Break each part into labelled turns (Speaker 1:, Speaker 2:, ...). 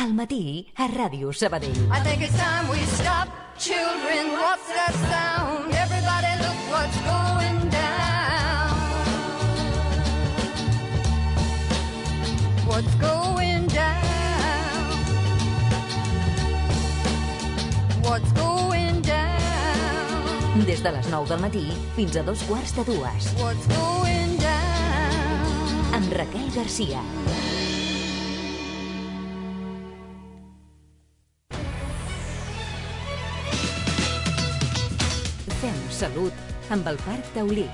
Speaker 1: Al matí a Ràdio Sabadell.
Speaker 2: I think it's time we stop. Children, what's that sound? Everybody look what's going down. What's going down? What's going down?
Speaker 1: Des de les 9 del matí fins a 2:15.
Speaker 2: What's going down?
Speaker 1: Amb Raquel Garcia. Fem salut amb el Parc Taulí.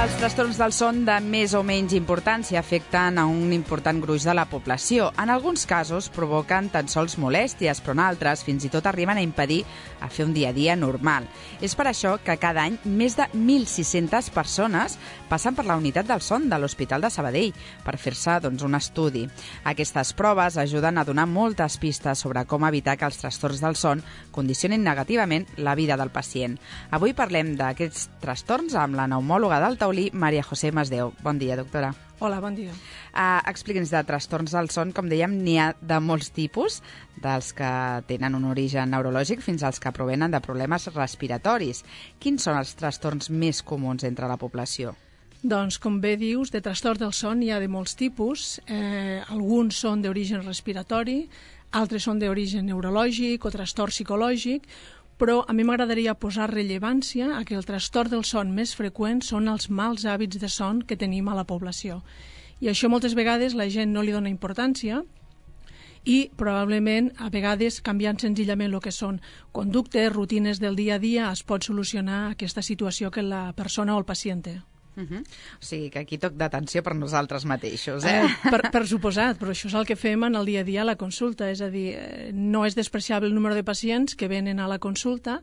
Speaker 3: Els trastorns del son de més o menys importància afecten a un important gruix de la població. En alguns casos provoquen tan sols molèsties, però en altres fins i tot arriben a impedir a fer un dia a dia normal. És per això que cada any més de 1.600 persones passen per la unitat del son de l'Hospital de Sabadell per fer-se un estudi. Aquestes proves ajuden a donar moltes pistes sobre com evitar que els trastorns del son condicionin negativament la vida del pacient. Avui parlem d'aquests trastorns amb la pneumòloga del Taulí, Maria José Masdeu. Bon dia, doctora.
Speaker 4: Hola, bon dia.
Speaker 3: Expliqui'ns, de trastorns del son, com dèiem, n'hi ha de molts tipus, dels que tenen un origen neurològic fins als que provenen de problemes respiratoris. Quins són els trastorns més comuns entre la població?
Speaker 4: Doncs, com bé dius, de trastorns del son hi ha de molts tipus. Alguns són d'origen respiratori, altres són d'origen neurològic o trastorn psicològic, però a mi m'agradaria posar rellevància a que el trastorn del son més freqüent són els mals hàbits de son que tenim a la població. I això moltes vegades la gent no li dona importància i probablement a vegades canviant senzillament el que són conductes, rutines del dia a dia es pot solucionar aquesta situació que la persona o el pacient té.
Speaker 3: O sigui, que aquí toc d'atenció per nosaltres mateixos,
Speaker 4: Per suposat, però això és el que fem en el dia a dia a la consulta, és a dir, no és despreciable el número de pacients que venen a la consulta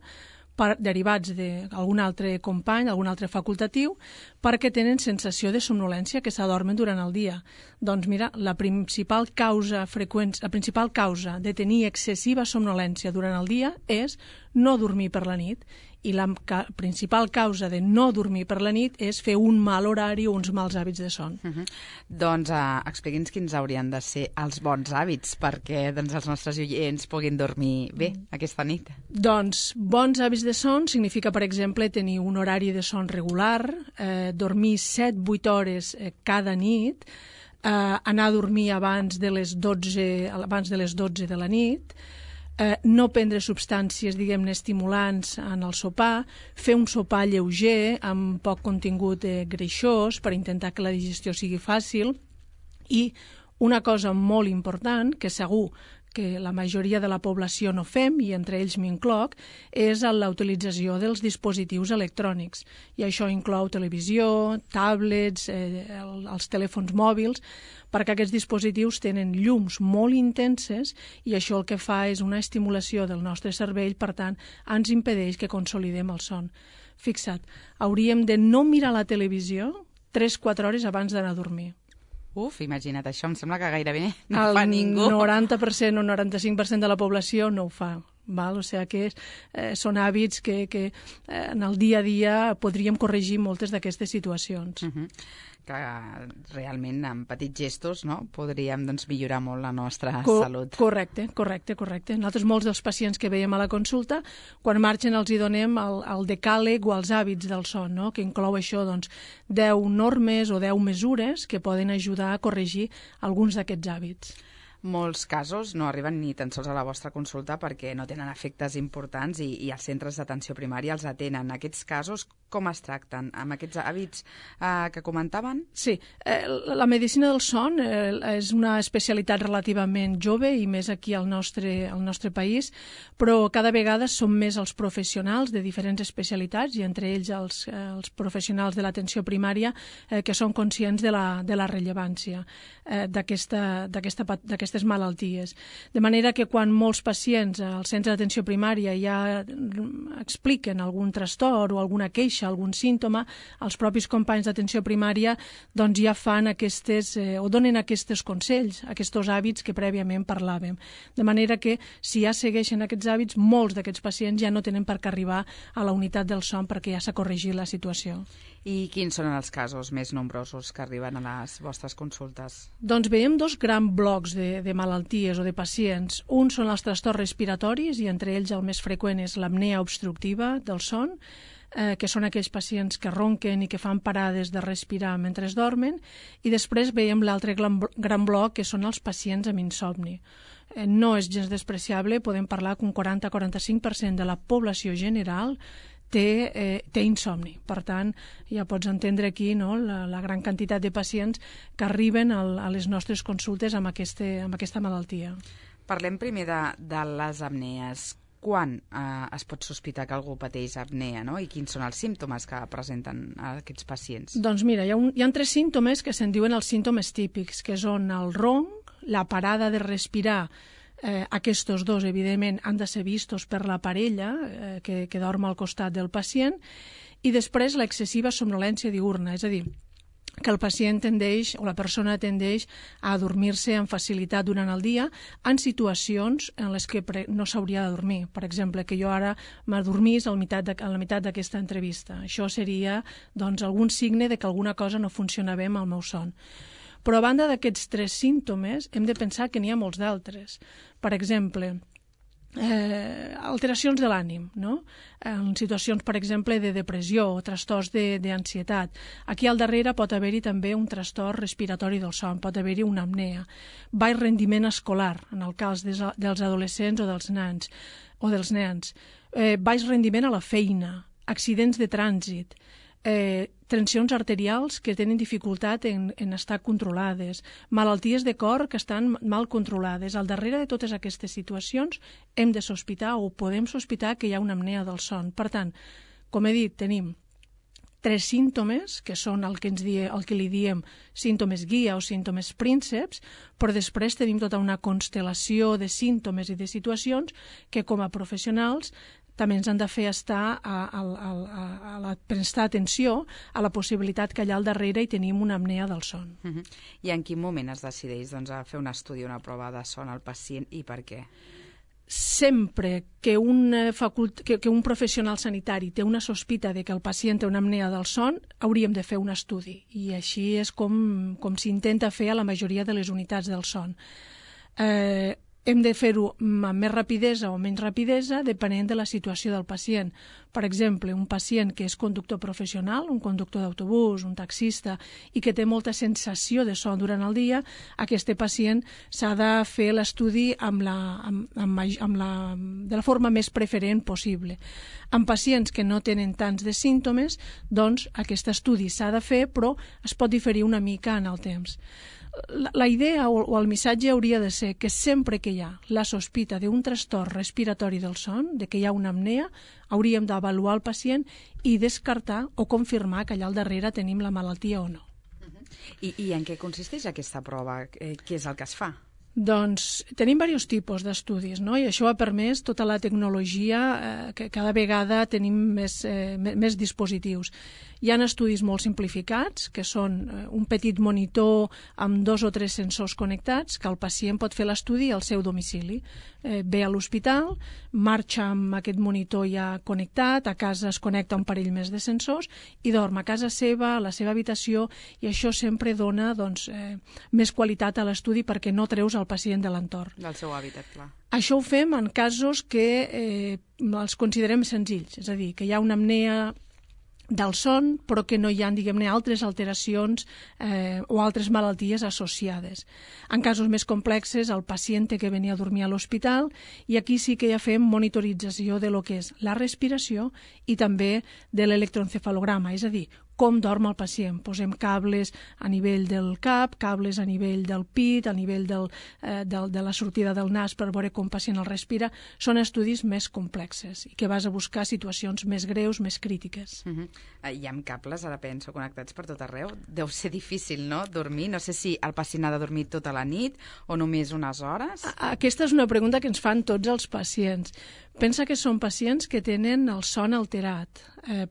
Speaker 4: derivats d'algun altre company, algun altre facultatiu, perquè tenen sensació de somnolència, que s'adormen durant el dia. Doncs mira, la principal causa de tenir excessiva somnolència durant el dia és no dormir per la nit, i la principal causa de no dormir per la nit és fer un mal horari o uns mals hàbits de son.
Speaker 3: Doncs expliqui'ns quins haurien de ser els bons hàbits perquè els nostres oients puguin dormir bé aquesta nit.
Speaker 4: Doncs bons hàbits de son significa, per exemple, tenir un horari de son regular, dormir 7-8 hores cada nit, anar a dormir abans de les 12 de la nit, no prendre substàncies, diguem-ne, estimulants en el sopar, fer un sopar lleuger amb poc contingut greixós per intentar que la digestió sigui fàcil, i una cosa molt important, que segur que la majoria de la població no fem, i entre ells m'incloc, és la utilització dels dispositius electrònics. I això inclou televisió, tablets, els telèfons mòbils, perquè aquests dispositius tenen llums molt intenses i això el que fa és una estimulació del nostre cervell, per tant, ens impedeix que consolidem el son. Fixa't, hauríem de no mirar la televisió 3-4 hores abans d'anar a dormir.
Speaker 3: Imagina't, això em sembla que gairebé no fa ningú.
Speaker 4: El 90% o 95% de la població no ho fa. O sigui que són hàbits que en el dia a dia podríem corregir moltes d'aquestes situacions.
Speaker 3: Que realment amb petits gestos podríem millorar molt la nostra salut.
Speaker 4: Correcte. Nosaltres molts dels pacients que veiem a la consulta, quan marxen els hi donem el decàleg o els hàbits del son, que inclou això 10 normes o 10 mesures que poden ajudar a corregir alguns d'aquests hàbits.
Speaker 3: Molts casos no arriben ni tan sols a la vostra consulta perquè no tenen efectes importants i els centres d'atenció primària els atenen. Aquests casos com es tracten? Amb aquests hàbits que comentaven?
Speaker 4: Sí, la medicina del son és una especialitat relativament jove i més aquí al nostre país, però cada vegada són més els professionals de diferents especialitats i entre ells els professionals de l'atenció primària que són conscients de la rellevància d'aquesta aquestes malalties. De manera que quan molts pacients al centre d'atenció primària ja expliquen algun trastorn o alguna queixa, algun símptoma, els propis companys d'atenció primària doncs ja fan o donen aquests consells, aquests hàbits que prèviament parlàvem. De manera que si ja segueixen aquests hàbits, molts d'aquests pacients ja no tenen per què arribar a la unitat del son perquè ja s'ha corregit la situació.
Speaker 3: I quins són els casos més nombrosos que arriben a les vostres consultes?
Speaker 4: Doncs veiem dos grans blocs de malalties o de pacients. Un són els trastorns respiratoris i entre ells el més freqüent és l'apnea obstructiva del son, que són aquells pacients que ronquen i que fan parades de respirar mentre dormen, i després veiem l'altre gran bloc, que són els pacients amb insomni. No és gens despreciable, podem parlar que un 40-45% de la població general té insomni. Per tant, ja pots entendre aquí la gran quantitat de pacients que arriben a les nostres consultes amb aquesta malaltia.
Speaker 3: Parlem primer de les apnees. Quan es pot sospitar que algú pateix apnea, no? I quins són els símptomes que presenten aquests pacients?
Speaker 4: Doncs mira, hi ha 3 símptomes que se'n diuen els símptomes típics, que són el ronc, la parada de respirar. Aquests dos, evidentment, han de ser vistos per la parella que dorm al costat del pacient, i després l'excessiva somnolència diürna, és a dir, que el pacient tendeix, o la persona tendeix a dormir-se amb facilitat durant el dia en situacions en les que no s'hauria de dormir. Per exemple, que jo ara m'adormís a la meitat d'aquesta entrevista. Això seria doncs, algun signe de que alguna cosa no funciona bé amb el meu son. Però a banda d'aquests 3 símptomes, hem de pensar que n'hi ha molts d'altres. Per exemple, alteracions de l'ànim, no? En situacions, per exemple, de depressió o trastorns d'ansietat. Aquí al darrere pot haver-hi també un trastorn respiratori del son, pot haver-hi una apnea. Baix rendiment escolar, en el cas dels adolescents o dels nens. Baix rendiment a la feina, accidents de trànsit, tensions arterials que tenen dificultat en estar controlades, malalties de cor que estan mal controlades. Al darrere de totes aquestes situacions hem de sospitar o podem sospitar que hi ha una apnea del son. Per tant, com he dit, tenim 3 símptomes, que són el que li diem símptomes guia o símptomes prínceps, però després tenim tota una constel·lació de símptomes i de situacions que com a professionals també ens han de fer prestar atenció a la possibilitat que allà al darrere hi tenim una apnea del son.
Speaker 3: I en quin moment es decideix a fer un estudi, una prova de son al pacient i per què?
Speaker 4: Sempre que un professional sanitari té una sospita de que el pacient té una apnea del son, hauríem de fer un estudi. I així és com s'intenta fer a la majoria de les unitats del son. Hem de fer-ho amb més rapidesa o menys rapidesa depenent de la situació del pacient. Per exemple, un pacient que és conductor professional, un conductor d'autobús, un taxista, i que té molta sensació de son durant el dia, aquest pacient s'ha de fer l'estudi de la forma més preferent possible. En pacients que no tenen tants de símptomes, doncs aquest estudi s'ha de fer, però es pot diferir una mica en el temps. La idea o el missatge hauria de ser que sempre que hi ha la sospita d'un trastorn respiratori del son, de que hi ha una apnea, hauríem d'avaluar el pacient i descartar o confirmar que allà al darrere tenim la malaltia o no.
Speaker 3: I en què consisteix aquesta prova? Què és el que es fa?
Speaker 4: Doncs tenim diversos tipus d'estudis, no? I això ha permès tota la tecnologia que cada vegada tenim més dispositius. Hi ha estudis molt simplificats, que són un petit monitor amb 2 o 3 sensors connectats, que el pacient pot fer l'estudi al seu domicili. Ve a l'hospital, marxa amb aquest monitor ja connectat, a casa es connecta un parell més de sensors i dorm a casa seva, a la seva habitació, i això sempre dona més qualitat a l'estudi perquè no treus el pacient de l'entorn.
Speaker 3: Del seu hàbitat, clar.
Speaker 4: Això ho fem en casos que els considerem senzills, és a dir, que hi ha una apnea del son, però que no hi ha, diguem-ne, altres alteracions o altres malalties associades. En casos més complexes, el pacient té que venir a dormir a l'hospital i aquí sí que ja fem monitorització de lo que és la respiració i també de l'electroencefalograma, és a dir, com dorm el pacient. Posem cables a nivell del cap, cables a nivell del pit, a nivell de la sortida del nas per veure com el pacient el respira. Són estudis més complexes i que vas a buscar situacions més greus, més crítiques.
Speaker 3: Hi ha cables, ara penso, connectats per tot arreu. Deu ser difícil, no?, dormir. No sé si el pacient ha de dormir tota la nit o només unes hores.
Speaker 4: Aquesta és una pregunta que ens fan tots els pacients. Pensa que són pacients que tenen el son alterat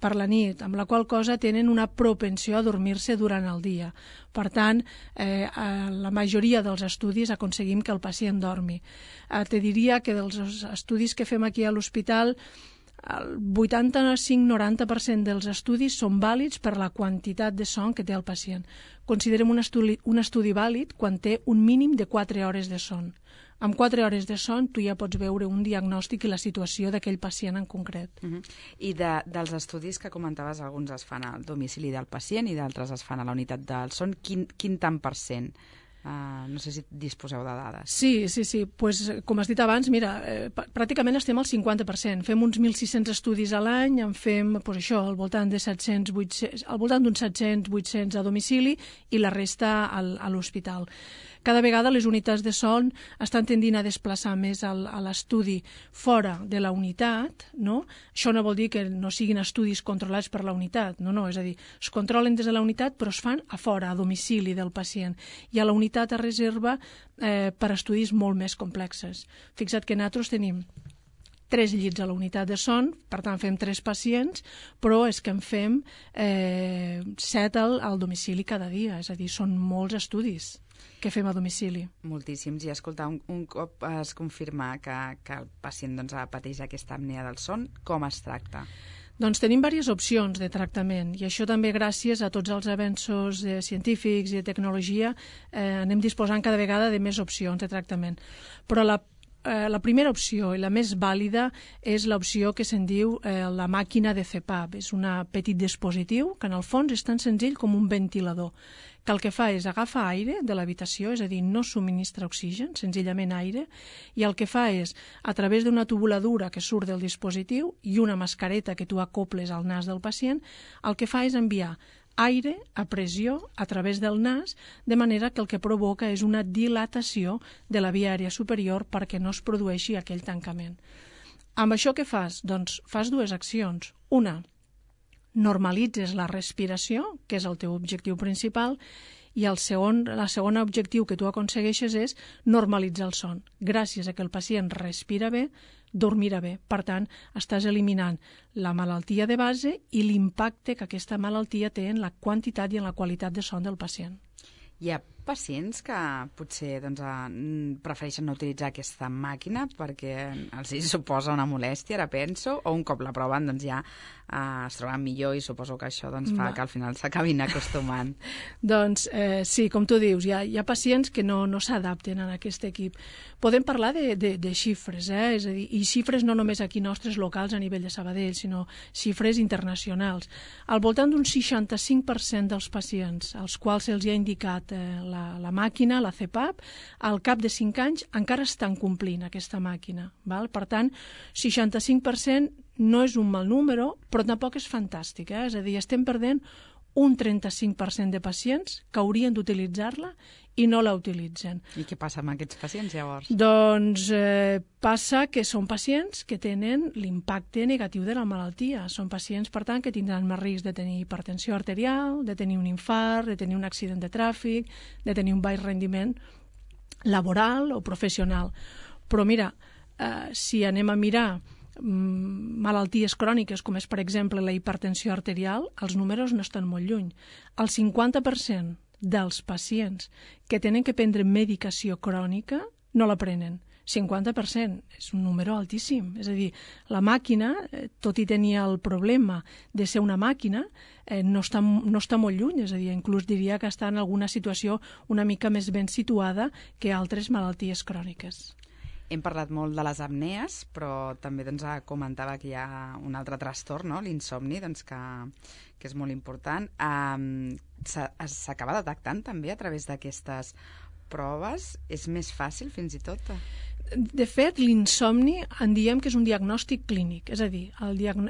Speaker 4: per la nit, amb la qual cosa tenen una propensió a dormir-se durant el dia. Per tant, a la majoria dels estudis aconseguim que el pacient dormi. Te diria que dels estudis que fem aquí a l'hospital, el 85-90% dels estudis són vàlids per la quantitat de son que té el pacient. Considerem un estudi vàlid quan té un mínim de 4 hores de son. Amb 4 hores de son tu ja pots veure un diagnòstic i la situació d'aquell pacient en concret.
Speaker 3: I dels estudis que comentaves, alguns es fan al domicili del pacient i d'altres es fan a la unitat del son. Quin tant per cent? No sé si disposeu de dades.
Speaker 4: Sí. Pues, com has dit abans, mira, pràcticament estem al 50%. Fem uns 1.600 estudis a l'any, en fem al voltant de 700, al voltant d'uns 700-800 a domicili i la resta a l'hospital. Cada vegada les unitats de son estan tendint a desplaçar més a l'estudi fora de la unitat, no? Això no vol dir que no siguin estudis controlats per la unitat, no, és a dir, es controlen des de la unitat però es fan a fora, a domicili del pacient, i a la unitat es reserva per estudis molt més complexes. Fixa't que nosaltres tenim 3 llits a la unitat de son, per tant fem 3 pacients, però és que en fem 7 al domicili cada dia, és a dir, són molts estudis que fem a domicili.
Speaker 3: Moltíssims. I escoltar, un cop es confirma que el pacient pateix aquesta apnea del son, com es tracta?
Speaker 4: Doncs tenim diverses opcions de tractament i això també gràcies a tots els avenços científics i de tecnologia anem disposant cada vegada de més opcions de tractament. Però la primera opció i la més vàlida és l'opció que se'n diu la màquina de CPAP. És un petit dispositiu que en el fons és tan senzill com un ventilador, que el que fa és agafar aire de l'habitació, és a dir, no subministra oxigen, senzillament aire, i el que fa és, a través d'una tubuladura que surt del dispositiu i una mascareta que tu acoples al nas del pacient, el que fa és enviar aire a pressió a través del nas, de manera que el que provoca és una dilatació de la via aèria superior perquè no es produeixi aquell tancament. Amb això què fas? Doncs fas 2 accions. Una, normalitzes la respiració, que és el teu objectiu principal, i la segona objectiu que tu aconsegueixes és normalitzar el son. Gràcies a que el pacient respira bé, dormirà bé. Per tant, estàs eliminant la malaltia de base i l'impacte que aquesta malaltia té en la quantitat i en la qualitat de son del pacient.
Speaker 3: Hi ha pacients que potser prefereixen no utilitzar aquesta màquina perquè els suposa una molèstia, ara penso, o un cop la proven ja es troben millor i suposo que això fa que al final s'acabin acostumant.
Speaker 4: Doncs sí, com tu dius, hi ha pacients que no s'adapten a aquest equip. Podem parlar de xifres, és a dir, i xifres no només aquí nostres locals a nivell de Sabadell, sinó xifres internacionals. Al voltant d'un 65% dels pacients als quals se'ls ha indicat la màquina, la CPAP, al cap de 5 anys encara estan complint aquesta màquina. Val? Per tant, 65% no és un mal número, però tampoc és fantàstic. És a dir, estem perdent un 35% de pacients que haurien d'utilitzar-la i no la utilitzen.
Speaker 3: I què passa amb aquests pacients, llavors?
Speaker 4: Doncs passa que són pacients que tenen l'impacte negatiu de la malaltia. Són pacients, per tant, que tindran més risc de tenir hipertensió arterial, de tenir un infart, de tenir un accident de tràfic, de tenir un baix rendiment laboral o professional. Però mira, si anem a mirar malalties cròniques, com és, per exemple, la hipertensió arterial, els números no estan molt lluny. El 50% dels pacients que tenen que prendre medicació crònica no la prenen. 50%, és un número altíssim. És a dir, la màquina, tot i tenir el problema de ser una màquina, no està molt lluny, és a dir, inclús diria que està en alguna situació una mica més ben situada que altres malalties cròniques.
Speaker 3: Hem parlat molt de les apnees, però també comentava que hi ha un altre trastorn, no? L'insomni, que és molt important. S'acaba detectant també a través d'aquestes proves? És més fàcil, fins i tot?
Speaker 4: De fet, l'insomni en diem que és un diagnòstic clínic, és a dir,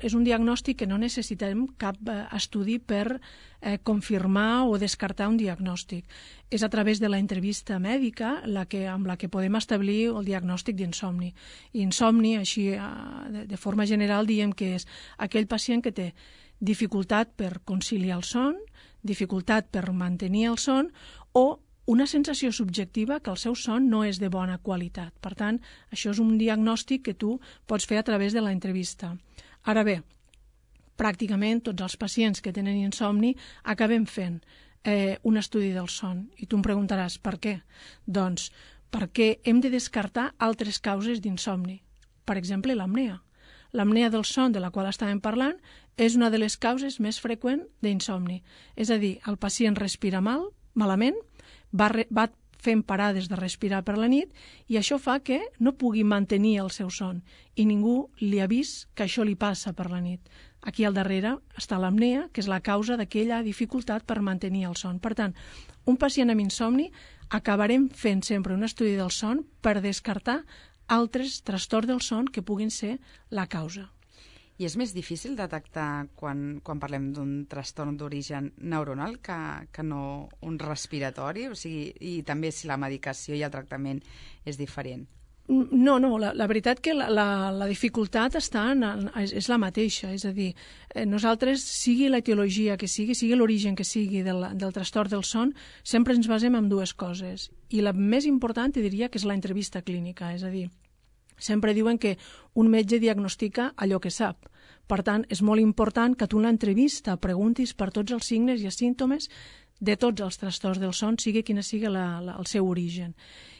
Speaker 4: és un diagnòstic que no necessitem cap estudi per confirmar o descartar un diagnòstic. És a través de la entrevista mèdica amb la que podem establir el diagnòstic d'insomni. I insomni, així de forma general, diem que és aquell pacient que té dificultat per conciliar el son, dificultat per mantenir el son o una sensació subjectiva que el seu son no és de bona qualitat. Per tant, això és un diagnòstic que tu pots fer a través de l'entrevista. Ara bé, pràcticament tots els pacients que tenen insomni acabem fent un estudi del son. I tu em preguntaràs per què? Doncs perquè hem de descartar altres causes d'insomni. Per exemple, l'apnea. L'apnea del son, de la qual estàvem parlant, és una de les causes més freqüents d'insomni. És a dir, el pacient respira malament, va fent parades de respirar per la nit i això fa que no pugui mantenir el seu son i ningú li ha vist que això li passa per la nit. Aquí al darrere està l'apnea, que és la causa d'aquella dificultat per mantenir el son. Per tant, un pacient amb insomni acabarem fent sempre un estudi del son per descartar altres trastorns del son que puguin ser la causa.
Speaker 3: I és més difícil detectar quan parlem d'un trastorn d'origen neuronal que no un respiratori? O sigui, i també si la medicació i el tractament és diferent.
Speaker 4: No, la veritat que la dificultat és la mateixa, és a dir, nosaltres, sigui l'etiologia que sigui l'origen que sigui del trastorn del son, sempre ens basem en dues coses. I la més important, diria, que és l'entrevista clínica, és a dir, sempre diuen que un metge diagnostica allò que sap. Per tant, és molt important que tu en l'entrevista preguntis per tots els signes i els símptomes de tots els trastorns del son, sigui quina sigui el seu origen.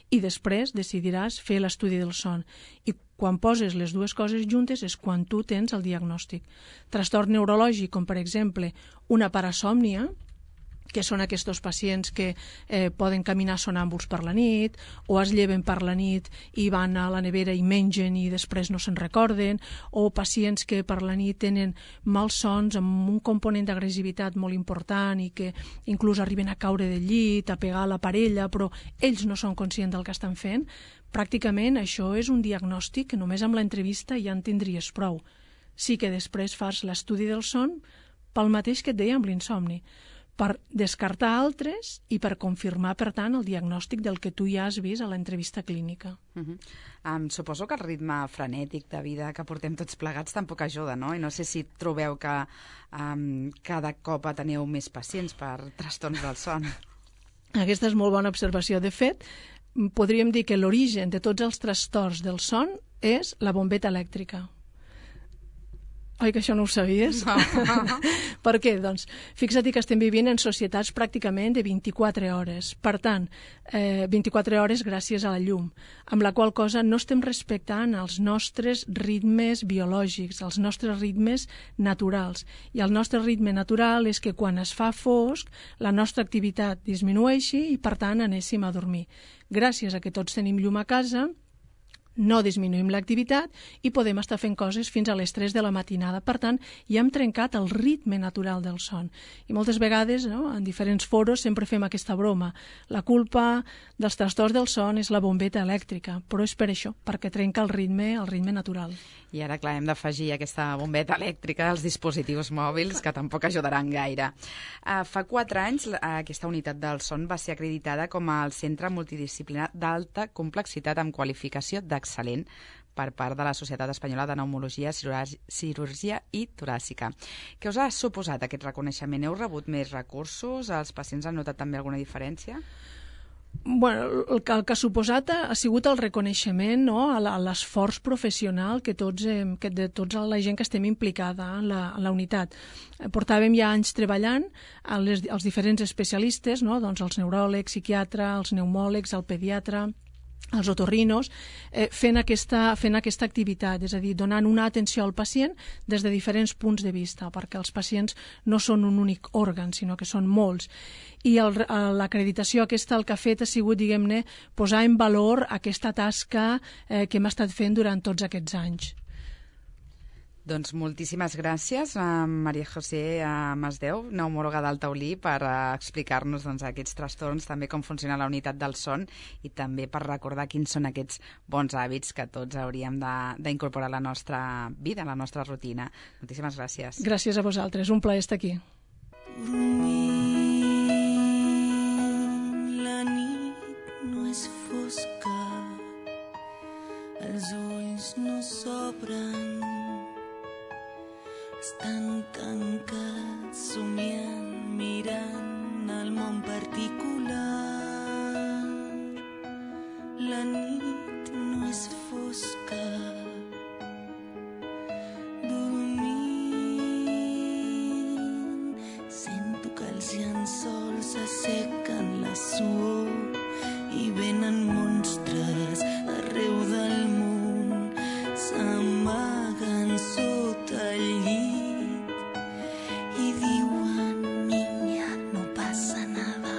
Speaker 4: I després decidiràs fer l'estudi del son. I quan poses les dues coses juntes és quan tu tens el diagnòstic. Trastorn neurològic, com per exemple una parasòmnia, que són aquests pacients que poden caminar sonàmbuls per la nit o es lleven per la nit i van a la nevera i mengen i després no se'n recorden, o pacients que per la nit tenen malsons amb un component d'agressivitat molt important i que inclús arriben a caure del llit, a pegar la parella, però ells no són conscients del que estan fent. Pràcticament això és un diagnòstic que només amb l'entrevista ja en tindries prou. Sí que després fas l'estudi del son pel mateix que et deia amb l'insomni, per descartar altres i per confirmar, per tant, el diagnòstic del que tu ja has vist a l'entrevista clínica.
Speaker 3: Suposo que el ritme frenètic de vida que portem tots plegats tampoc ajuda, no? I no sé si trobeu que cada cop teniu més pacients per trastorns del son.
Speaker 4: Aquesta és molt bona observació. De fet, podríem dir que l'origen de tots els trastorns del son és la bombeta elèctrica. Oi que això no ho sabies?
Speaker 3: No.
Speaker 4: Per què? Doncs fixa't que estem vivint en societats pràcticament de 24 hores. Per tant, 24 hores gràcies a la llum, amb la qual cosa no estem respectant els nostres ritmes biològics, els nostres ritmes naturals. I el nostre ritme natural és que quan es fa fosc, la nostra activitat disminueixi i, per tant, anéssim a dormir. Gràcies a que tots tenim llum a casa, no disminuïm l'activitat i podem estar fent coses fins a les 3 de la matinada. Per tant, ja hem trencat el ritme natural del son. I moltes vegades, no, en diferents foros, sempre fem aquesta broma. La culpa dels trastorns del son és la bombeta elèctrica, però és per això, perquè trenca el ritme natural.
Speaker 3: I ara, clar, hem d'afegir aquesta bombeta elèctrica als dispositius mòbils, que tampoc ajudaran gaire. Fa 4 anys, aquesta unitat del son va ser acreditada com el Centre Multidisciplinar d'Alta Complexitat amb qualificació d'excel·lent per part de la Societat Espanyola de Pneumologia, Cirurgia i Toràcica. Què us ha suposat aquest reconeixement? Heu rebut més recursos? Els pacients han notat també alguna diferència?
Speaker 4: Bueno, el que ha suposat ha sigut el reconeixement, no?, a l'esforç professional que de tota la gent que estem implicada en la unitat. Portàvem ja anys treballant els diferents especialistes, no?, doncs els neuròlegs, psiquiatre, els pneumòlegs, el pediatre, els otorrinos, fent aquesta activitat, és a dir, donant una atenció al pacient des de diferents punts de vista, perquè els pacients no són un únic òrgan, sinó que són molts. I l'acreditació aquesta el que ha fet ha sigut, diguem-ne, posar en valor aquesta tasca que hem estat fent durant tots aquests anys.
Speaker 3: Doncs moltíssimes gràcies a Maria José Masdeu, neumòloga del Taulí, per explicar-nos aquests trastorns, també com funciona la unitat del son i també per recordar quins són aquests bons hàbits que tots hauríem d'incorporar a la nostra vida, a la nostra rutina. Moltíssimes gràcies.
Speaker 4: Gràcies a vosaltres, un plaer estar aquí.
Speaker 5: La nit no és fosca, els ulls no s'obren, estan tancats, somiant, mirant el món particular. La nit no és fosca, dormint, sento que els llençols assequen la suor i venen monstres arreu del món, s'amaguen sota el llit i diuen: niña, no pasa nada,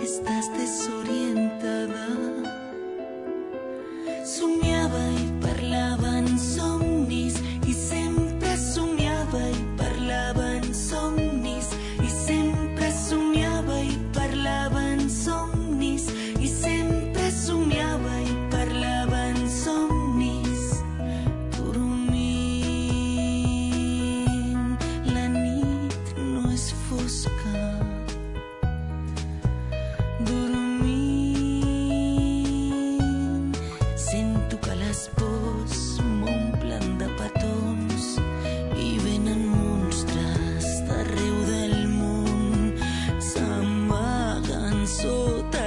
Speaker 5: estás desorientada. Somiava i parlava en somnis i sempre somiava i parlava en somnis i sempre somiava i parlava en somnis i sempre somiava i parlava en somnis. Dormint, la nit no és fosca. Dormint, sento que les pors m'omplen de petons i venen monstres d'arreu del món, s'amaguen sota